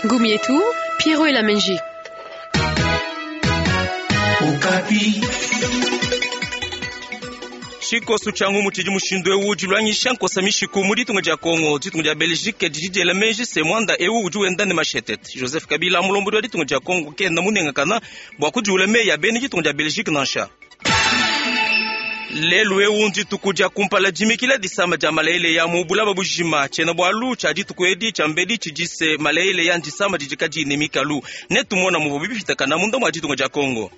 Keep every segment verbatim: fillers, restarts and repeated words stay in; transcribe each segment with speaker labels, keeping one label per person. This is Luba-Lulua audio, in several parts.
Speaker 1: Ngumu yetu, Pierrot Elamenji.
Speaker 2: Tshikoso tshia ngumu tshidi mushindu ewu dilwangisha nkosa mishiku mu ditunga dia Kongo. Ditunga dia Belgique didi diela meji se muanda ewu udi wenda ne mashetete. Joseph Kabila mulombodi wa ditunga dia Kongo kena munengakana bua kudiula meyi a bena ditunga dia Belgique nansha. Lelu ewu ndituku dia kumpala dimikila disama dia malele mu bulaba bujima. Tshiena bualu tshia dituku edi tshia mbedi tshidi se malele ya ndisama didi kadiyi ne mikalu. Netumona muvua bipitakana munda mua ditunga dia Kongo.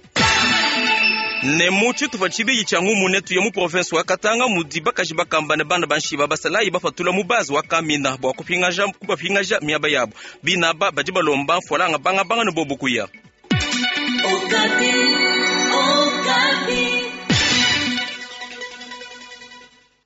Speaker 2: Ne mu tshitupa tshibidi tshia ngumu netuye mu province wa Katanga mudi bakaji bakamba ne bana banshiba basalayi bapatula mu base wa Kamina bua kupingaja kubapingaja miaba yabo. Binaba badi balomba mfualanga banga banga ne bobu kuya.
Speaker 3: Okapi, Okapi.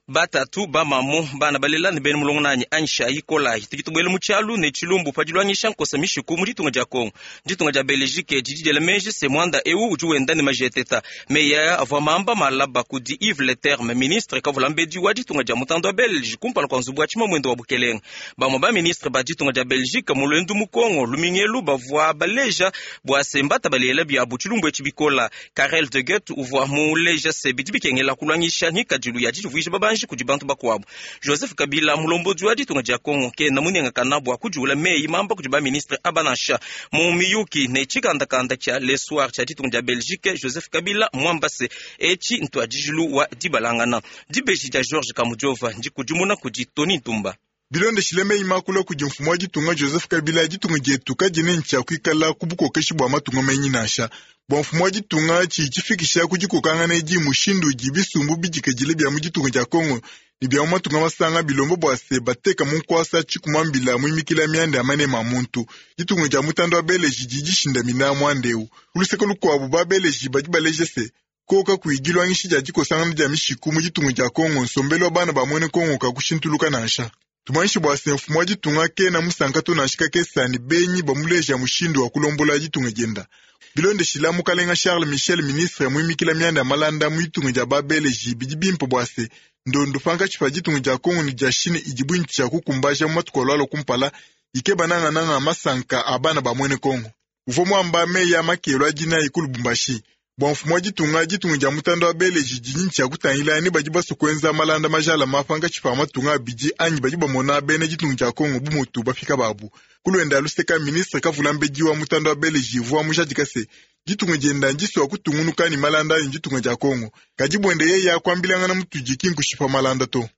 Speaker 2: Batatu bamamu bana balela ne bena mulongo nanyi Aisha Ikolayi tudi tubuela mu tshialu ne tshilumbu pa dilwangisha nkosa mishiku mu ditunga dia Kongo. Ditunga dia Belgique didi diela meji se muanda ewu udi wenda ne majeteta. Meyi aya avua mamba malaba kudi Yves Leterme, ministre kavula mbedi wa ditunga dia mutanda wa Belge kumpala kua nzubu wa tshimamwendo wa bukelenga. Bamue ba ministre ba ditunga dia Belgique mu luendu mu Kongo lumingelu bavua baleja bua se mbata balela biabu tshilumbu etshi bikola. Karel de Gucht uvua muleja se bidi bikengela kulwangisha ngikadilu ya didivuija babanji kudi bantu bakuabu. Joseph Kabila mulombodi wa ditunga dia Kongo kena munengakana bua kudiula meyi mamba kudi ba ministre aba nansha. Mu miyuki ne tshikandakanda tshia Le Soir tshia ditunga dia Belgique, Joseph Kabila mwamba se etshi ntuadijilu wa dibalangana. Dibeji dia Georges Kamujova ndikudimuna kudi Tony Ntumba.
Speaker 4: Bilondeshile meyi makula kudi mfumu wa ditunga Joseph Kabila, ditunga dietu kadiena ne tshia kuikala ku bukokeshi bua matunga menyi nansha. Bua mfumu wa ditunga tshidi tshifikisha ku dikokangana edi mushindu udi bisumbu bidikadile bia mu ditunga dia Kongo ne bia mu matunga masanga bilomba bua se bateka mu nkuasa tshikumambila muimikila mianda ya manema a muntu. Ditunga dia mutanda wa Beleji didi dishindamina muanda eu. Ku luseke lukuabu ba Beleji badi baleja se koka kuyi dilwangisha dia dikosangana dia mishiku mu ditunga dia Kongo, nsombelu wa bana ba muena Kongo kakushintuluka nansha. Tumanyishe bua se mfumu wa ditunga kena musanka to nansha kakesa ne benyi bamuleja mushindu wa kulombola ditunga dienda. Bilondeshila mukalenga Charles Michel, ministre muimikila mianda ya malanda mu ditunga dia ba Beleji, bidi bimpe bua se ndondo pankatshi pa ditunga dia Kongo ne dia Chine idi buinti tshia kukumbaja mu matuku alualua kumpala ikeba nangananga masanka a bana ba muena Kongo. Uvua muamba meyi a makelo a dinayi ku Lubumbashi. Bua mfumu wa ditunga, ditunga dia mutanda wa Beleji didi tshia kutangila ne badi basue kuenza malanda majalama pankatshi pa matunga abidi anyi badi bamona bena ditunga dia Kongo bu mutu bafika babu. Kulwenda luseka ministre kavula mbedi wa mutanda wa Beleji uvua mujadika se ditunga dienda ndisua kutungunuka ne malanda ne ditunga dia Kongo. Kadi buende yeye akuambilangana mutudi ki nkushipa malanda to.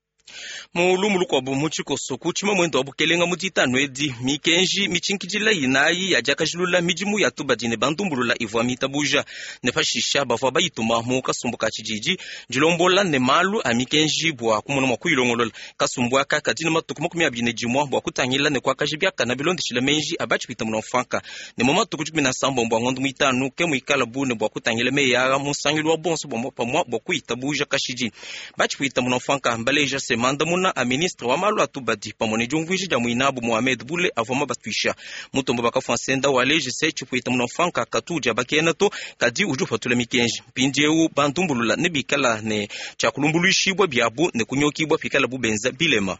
Speaker 2: Mu lumu lukuabu mu tshikoso ku tshimamwendo wa bukelenga mu ditanu edi mikenji mitshinkidila inayi ya diakajilula midimu ya tubadi ne bandumbulula ivua mitabuja ne pashisha bavua bayituma mu kasumbu ka tshididi dilombola ne malu a mikenji bua kumona mua kuyilongolola. Kasumbu aka kadi ne matuku makumi abidi ne dimue bua kutangila ne kuakaja biakana bilondeshila menji a batshipita muna mfanka ne mu matuku dikumi na sambombo a ngondo muitanu ke muikala bune bua kutangila meyi aa mu nsangilu wa bonso bua pamua bua kuyitabuja kashidi. Batshipita muna mfanka mbaleja se mandamuna a ministre wa malu a tubadi pamue ne diumvuija dia muinabu Mohamed Bule avua mabatuisha. Mutombo bakafua nsenda waleje se tshipuita muna mfanka katu dia bakena to kadi udi upatula mikenji. Mpindieu bandumbulula ne bikala ne tshia kulumbuluishibua biabu ne kunyokibua pikala bubenza bilema.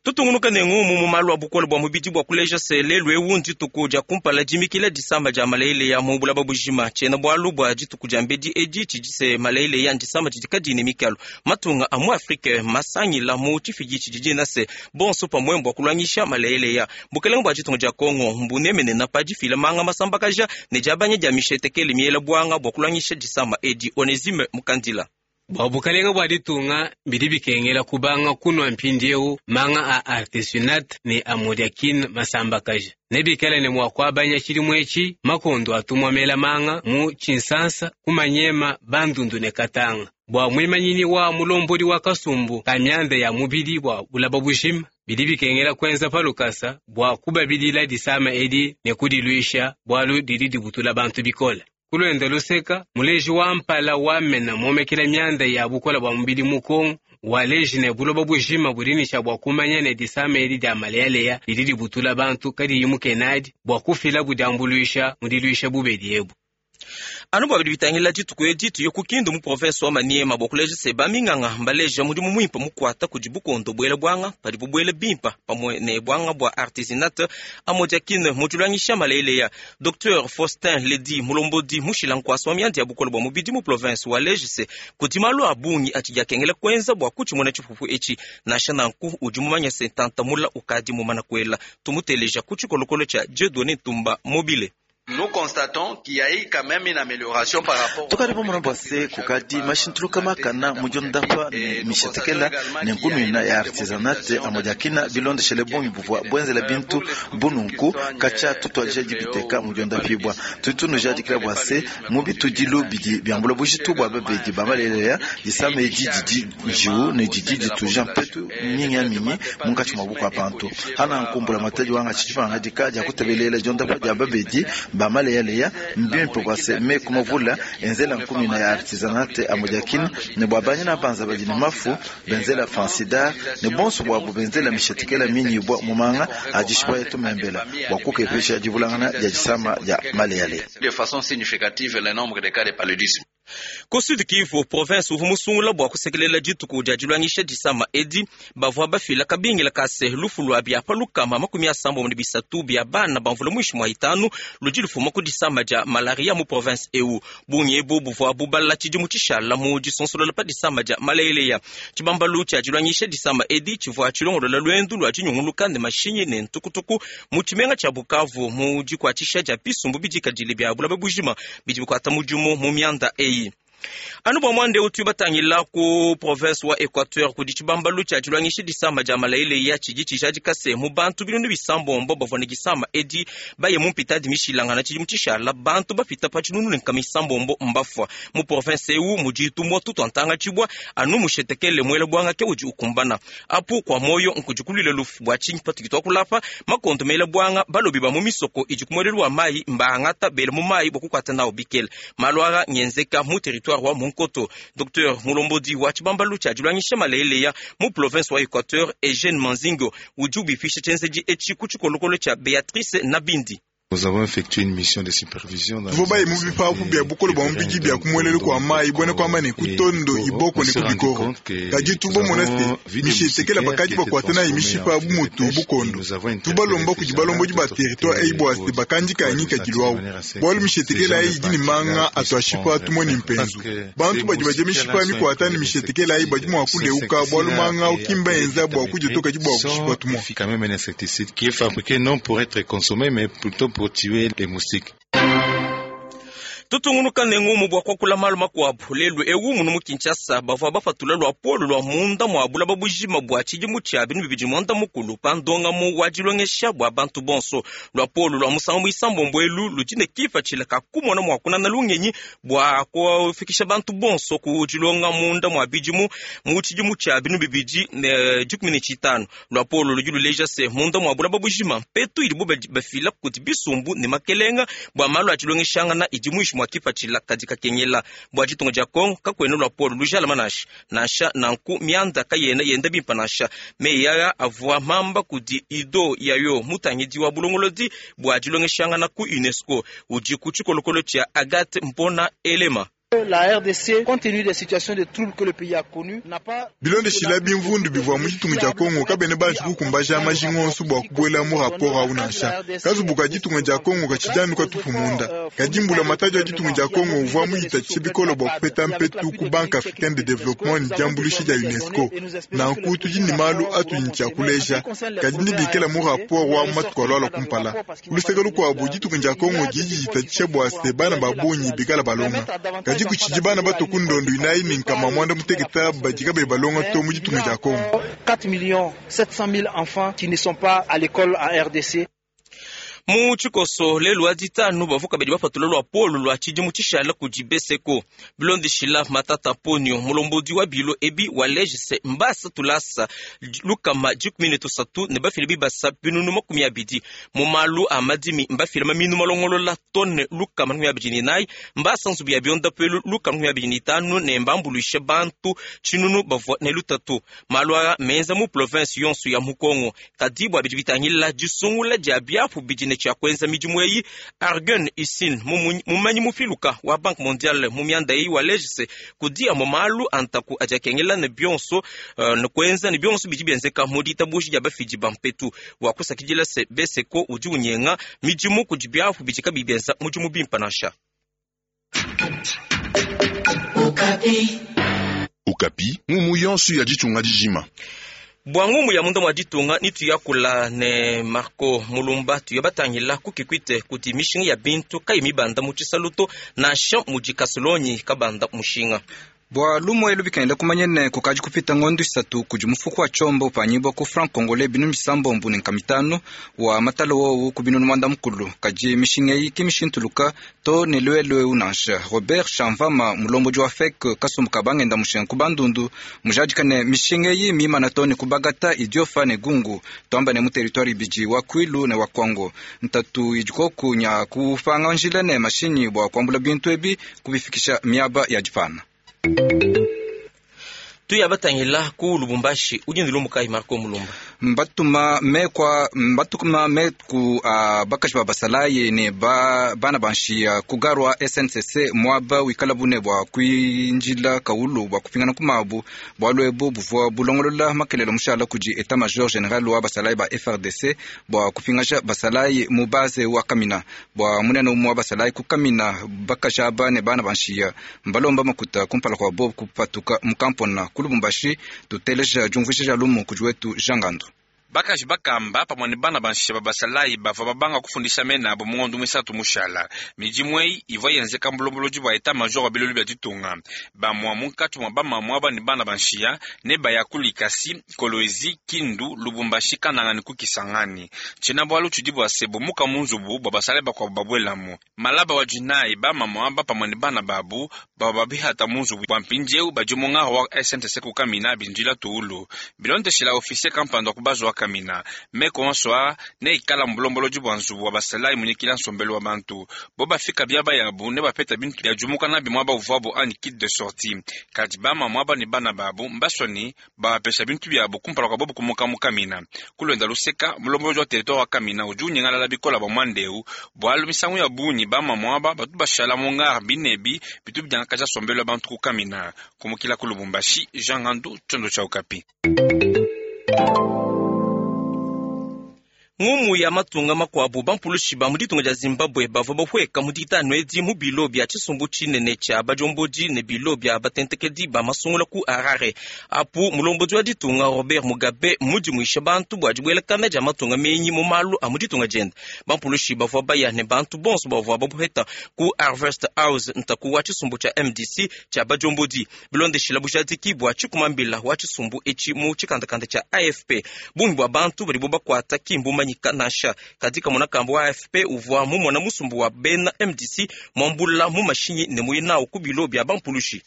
Speaker 2: Tutungunuka ne ngumu mu malu a bukole bua mubidi bua kuleja se lelu ewu ndituku dia kumpala dimikila disama dia malele ya mu bulaba bujima. Tshiena bualu bua dituku dia mbedi edi tshidi se malele ya ndisama didi kadiyi ne mikalu. Matunga a mu Afrike masangila mu tshifidi tshidi dina se bonso pamue bua kulwangisha malele ya. Bukelenge bua ditunga dia Kongo mbunemenena pa difila manga masambakaja ne diabanya dia mishetekele miela buanga bua kulwangisha disama edi. Onesime Mukandila.
Speaker 5: Bua bukalenga bua ditunga bidi bikengela kubanga kunwa mpindieu manga a artesunate ne amodiakine masambakaja ne bikala ne mua kuabanya tshidimu etshi makondo atumwa mela manga mu tshinsansa kumanyema bandundu ne katanga. Bua muimanyini wa mulombodi wa kasumbu ka mianda ya mubidi bua bulaba bujima bidi bikengela kuenza palukasa bua kubabidila disama edi ne kudiluisha bualu didi dibutula bantu bikole. Kulwenda luseka muleji wa mpala wamena momekela mianda ya bukola bua mubidi mu Kongo waleji ne buloba bujima budinisha bua kumanya ne disama edi dia maleyaleya didi dibutula bantu kadiyi mukenadi bua kufila budiambuluisha mu diluisha bubedi ebu.
Speaker 2: Anu bua bidi bitangila dituku edi tuye ku Kindu mu province wa Maniema bua kuleja se baminganga mbaleja mudimu muimpe mukuata kudi bukondo buela buanga padibu buela bimpa pamue ne buanga bua artesunate amodiaquine mu diluangisha maleleya. Docteur Faustin Ledi mulombodi mushila nkuasa wa mianda ya bukole bua mubidi mu province waleja se kudi malu a bungi atshidi akengela kuenza bua kutshimuna tshipupu etshi, nansha nanku udi mumanya se ntantamula ukadi mumana kuela. Tumuteleja ku tshikolokolo tshia Dieudonné Ntumba Mobile.
Speaker 6: Nous constatons qu'il y a eu quand même une amélioration par rapport
Speaker 7: tukadi pamona bua se kukadi mashintuluka makana mudiondapa ne mishetekela ne nkumina ya artisanate amodiakina bilondeshele bungi buvua buenzela bintu bununku katshia tutuadija dibiteka mudiondapibua tudi tunujadikila bua se mu bitudilu bidi biambula bujitu bua babedi ba maleleya disama edi didi njiwu ne didi dituja mpetu minyaminyi munkatshi mua bukua bantu hana nkumbula matadi wanga tshitshipangadika dia kutebelela diondapa dia babedi ba maleyaleya mbimpe bua se meku mavula enzela nkumina ya artisanate amodiakine ne bua banyina banza badi ne mafu benzela fansidar ne bonso buabu benzela mishetekela minyibua mumanga adishibua yetu membela bua kukepesha divulangana dia disama dia maleyaleya
Speaker 6: de façon significative le nombre de cas de paludisme.
Speaker 2: Ku Sud Kivu province uvua musungula bua kusekelela dituku dia diluangisha disama edi bavua bafila kabingila kase lufu lua biapa lukama makumi asambombo ne bisatu bia bana bamvula muinshi mua itanu ludi lufuma ku disama dia malaria mu province eu. Bungi ebu buvua bubala tshidimu tshishala mu disonsolola pa disama dia maleleya. Tshibambalu tshia diluangisha disama edi tshivua tshilongolola luendu lua dinyunguluka ne mashinyi ne ntukutuku mu tshimenga tshia Bukavu mu dikuatshisha dia bisumbu bidikadile bia bulaba bujima bidi bikuata mudimu mu mianda eyi. Anu bua mwande utu batangila ku province wa Equateur kudi tshibambalu tshia diluangisha disama dia maleleya tshidi tshijadika se mu bantu binunu bisambombo bavua ne disama edi baye mu mpitadi mishilangana tshidimu tshishala bantu bapita pa tshinunu ne nkama isambombo mbafua mu province eu mudi tumua tutua tshibua anu mushetekele muela buanga ke udi ukumbana apu kwa moyo nkudikulile lufu bua tshinyi patudi tuakulapa makondo mela buanga balobi ba mu misoko idi kumuelelu wa mai mbangata bele mu mai bua kukuata nao bikele malu aa ngenzeka mu territoire wa Monkoto. Docteur Mulombodi wa tshibambalu tshia diluangisha maleleya mu province wa Equateur Eugène Manzingo udi ubifisha tshienzedi etshi ku tshikolokolo tshia Beatrice Nabindi.
Speaker 8: Nous avons effectué une mission de supervision dans
Speaker 4: Tuvua baye mu bipapu bia bukole bua mubidi bia kumuelelu kua mai buena kuamba ne kutondo iboko ne kubikoro kadi tubomona se mishetekela bakadi bakuata nayi mishipa bu mutu bukondo tubalomba kudi balombodi ba territoire eyi bua se bakandika ngikadilu awu bualu mishetekela eyi idi ne manga atuashipa tumone mpenzu bantu badi badia mishipa mikuata ne mishetekela eyi badi mua kuleuka bualu manga ukimba enza bua kudia to kadi bua kushipa tumua.
Speaker 8: Quand même un insecticide qui est fabriqué non pour être consommé mais plutôt pour tuer les moustiques.
Speaker 2: Tutungunuka ne ngumu bua kuakula malu makuabu lelu ewu munu mu Kinshasa bavua bapatula lua polo lua munda mua bulaba bujima bua tshidimu tshia binu bibidi muanda mukulu pa ndongamu wa dilongesha bua bantu bonso. Lua polo lua musangu muisambombo elu ludi ne kipatshila ka kumona mua kunana lungenyi bua kufikisha bantu bonso ku dilonga munda mua bidimu mu tshidimu tshia binu bibidi ne dikumi ne tshitanu. Lua polo ludi luleja se munda mua bulaba bujima mpetu idibu bafila kudi bisumbu ne makelenga bua malu a dilongeshangana idi muishi mua kipatshila kadi kakengela bua ditunga dia Kongo kakuena lua polo lujala manashi nansha nanku mianda kayena yenda bimpa nansha meyi aya avua mamba kudi Ido Yayo mutangidi wa bulongolodi bua dilongeshangana ku UNESCO udi ku tshikolokolo tshia Agathe Mpona Elema.
Speaker 9: La R D C, compte tenu des situations de troubles que le pays a connues, n'a pas
Speaker 4: bilondeshila bimvundu bivua mu ditunga dia Kongo kabene banji kukumbaja majinga onso bua kubuela mu rapport awu nansha kazubuka ditunga dia Kongo katshidi katupu munda kadi mbula matadi wa ditunga dia Kongo uvua muyitatshishe bikole bua kupeta mpetu ku Banque africaine de développement ne diambuluishi dia UNESCO. Nanku tudi ne malu atudi tshia kuleja kadi ndibikela mu rapport wa matuku alualua kumpala. Kuluseke lukuabu ditunga dia Kongo didi ditatshisha bua se bana ba bungi bikala balonga kadi kuchidi bana bato kundondo inayi ne nkama mwanda muteketa badika be balonga to mu ditunga dia Kongo.
Speaker 9: quatre millions sept cent mille enfants qui ne sont pas à l'école en R D C.
Speaker 2: Mu tshikoso lelu wa ditanu bavuka badi bapatula lua polo lua tshidimu tshishala kudi Beseko bilondeshila Matata Ponyo mulombodi wa bilo ebi wa legise mbasa tulasa lukama dikumi ne tusatu ne bafile bibasa binunu makumi abidi mu malu a madimi mbafile maminu malongolola tone lukama makumi abidi ne nayi mbasa nzubu ya biondapelu lukama makumi abidi ne itanu ne mbambuluishe bantu tshinunu bavua ne lutatu malu aa menza mu province yonso ya mu Kongo kadi bua bidi bitangila disungula dia biapu bidi ne tshia kuenza midimu eyi. Argun Isin, mumanyi mupiluka wa Banque mondiale mu mianda eyi, waleja se kudi amue malu antaku adi akengela ne bionso uh, ne kuenza ne bionso bidi bienzeka mu ditabuji dia bafidi ba mpetu. Wakusakidila se Beseko udi unyenga midimu kudi biapu bidi kabiyi bienza mudimu bimpe nansha.
Speaker 3: Okapi.
Speaker 10: Okapi, ngumu yonso ya ditunga dijima.
Speaker 2: Bwa ngumu ya munda mwa ditunga nitu yakula ne Marco Mulumba tuya batangila kukikwite kuti mishinga ya bintu kayi mibanda mu tshisaluto nansha mudi kasolonyi kabanda mushinga.
Speaker 11: Bwa lumwe lubikenda kumanyene kukaji kupita ngondo isatu kudi mufuku wa chombo upanyibwa ku franc congolais binu misambombu ne nkamitano wa matalo wowu ku binunu mwanda mukulu kaji mishinga eyi ki mishintuluka to ne lwelwe unansha. Robert Shamvama mulomboji wa F E C kasumbu kabangenda mushinga ku bandundu mujadika ne mishinga eyi mimana to ne kubagata idiofa ne gungu twamba ne mu territoire ibidi wa Kwilu ne wa Kwango ntatu idikoku nya kupanga njila ne mashinyi bwa kuambula bintu ebi kubifikisha miaba ya dipana.
Speaker 2: Tuya batangila ku Lubumbashi udi ndilumbuka Marco Mulumba
Speaker 11: mbatuma mekwa mbatuma meku uh, bakaji ba basalayi ne ba bana banshiya kugarwa S N C C mwaba wikala bune bwa kwinjila kaulu bwa kupingana kumabu bwa lwebu buvwa bulongolola makelelo mushala kudi état major général wa basalayi ba F R D C bwa kupingasha basalayi mu base wa Kamina bwa munene umwe wa basalayi ku Kamina bakaji aba ne bana banshiya mbalomba makuta kumpala kwa bo kupatuka mukampona ku Lubumbashi tuteleja jumvuisha lumu kudi wetu Jangando.
Speaker 12: Bakaji bakamba pamwe ne bana banshiya ba basalayi bavua babanga kufundisha mena abo mungondo mwisatu mushala midimu eyi ivua yenzeka mbulombolodi bua état major wa bilolu bia ditunga bamwa munkatshi mwa bamamua aba ne bana banshiya ne baya ku Likasi, Kolwezi, Kindu, Lubumbashi, Kananga ne ku Kisangani. Tshina bwalu tshidi bua se bumuka mu nzubu bua basalayi bakuabu babuelamu malaba wa dinayi bamamua aba pamwe ne bana babu bavua babihata mu nzubu bua mpindieu badi mu ngaro wa S N T C ku Kamina bindila tuulu bilondeshela officier kampanda wa ku bazo wa Kamina meko onso ne ikala mbulombolodi bua nzubu wa basalayi munyikila nsombelu wa bantu bo bafika biaba yabu ne bapeta bintu bia jumuka na bimwa bavuabu ani kit de sortie kadi bamamua aba ne bana babu mbasoni bapesha bintu byabu kumpala kwa bobu kumuka mu Kamina kulwenda luseka mulombolodi wa territoire wa Kamina udi unyengalala bikola bwa mwandeu bwalu misangu ya bunyi bamamua aba batu bashala mu ngara binebi bitu bidiangakaja nsombelu wa bantu ku Kamina kumukila ku Lubumbashi Jean Gandu Tchondo cha Okapi.
Speaker 2: Ngumu ya matunga makuabu bampulushi ba mu ditunga dia Zimbabwe bavua bahueka mu ditanu edi mu bilo bia tshisumbu tshinene tshia badiombodi ne bilo bia batentekedi ba masungula ku Harare. Apu mulombodi wa ditunga Robert Mugabe mudimuisha bantu bua dibuelakana dia matunga menyi mu malu a mu ditunga diende. Bampulushi bavua baya ne bantu bonso bavua babuheta ku Harvest House ntaku wa tshisumbu tshia M D C tshia badiombodi bilondeshila bujadiki bua tshikumambila wa tshisumbu etshi mu tshikandakanda tshia A F P. Bungi bua bantu badibo bakuata kimbu nasha katika mwana wa A F P uvua mumona musumbu wa bena M D C mwambula mu mashinyi ne muyinao ku bilo bia bampulushi.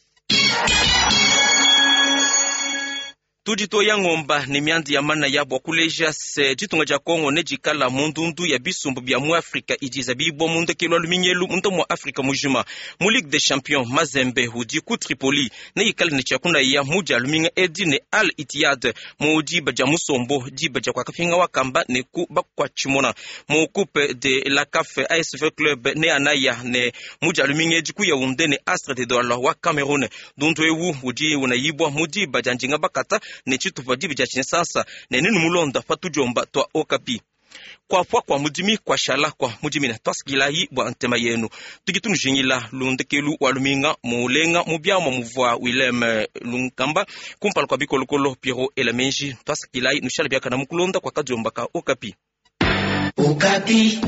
Speaker 2: Tudito ya ngomba ne miandi ya mana ya bwa kuleja se ditunga dia Kongo ne dikala mundundu ya bisumbu bia mu Afrika idiza bibwa mundekelo luminyelu munda mu Afrika mujima mu Ligue des Champions Mazembe udi ku Tripoli ne ikala ne tshakuna ya mudia luminga edi ne Al Ittihad mu diba dia musombo diba dia kwakafinga wakamba ne ku bakwachimona mu Coupe de la C A F A S V Club ne anaya ne mudia luminga edi ku Yaoundé ne Astre de Douala wa Cameroun dundu ewu udi unayibwa mu diba dia njinga bakata ne tshitupa dibi dia tshinsasa ne ninu mulonda patujomba twa Okapi. Kwa pwa kwa mudimi kwa shala kwa mudimina twasikilayi bwa ntema yenu tukitunujingila lundekelu wa luminga mulenga mubyama muvwa Willem Lunkamba kumpala kwa bikolokolo Pierrot Elamenji twasikilayi nushala byakana mukulonda kwa kajomba ka Okapi.
Speaker 3: Okapi.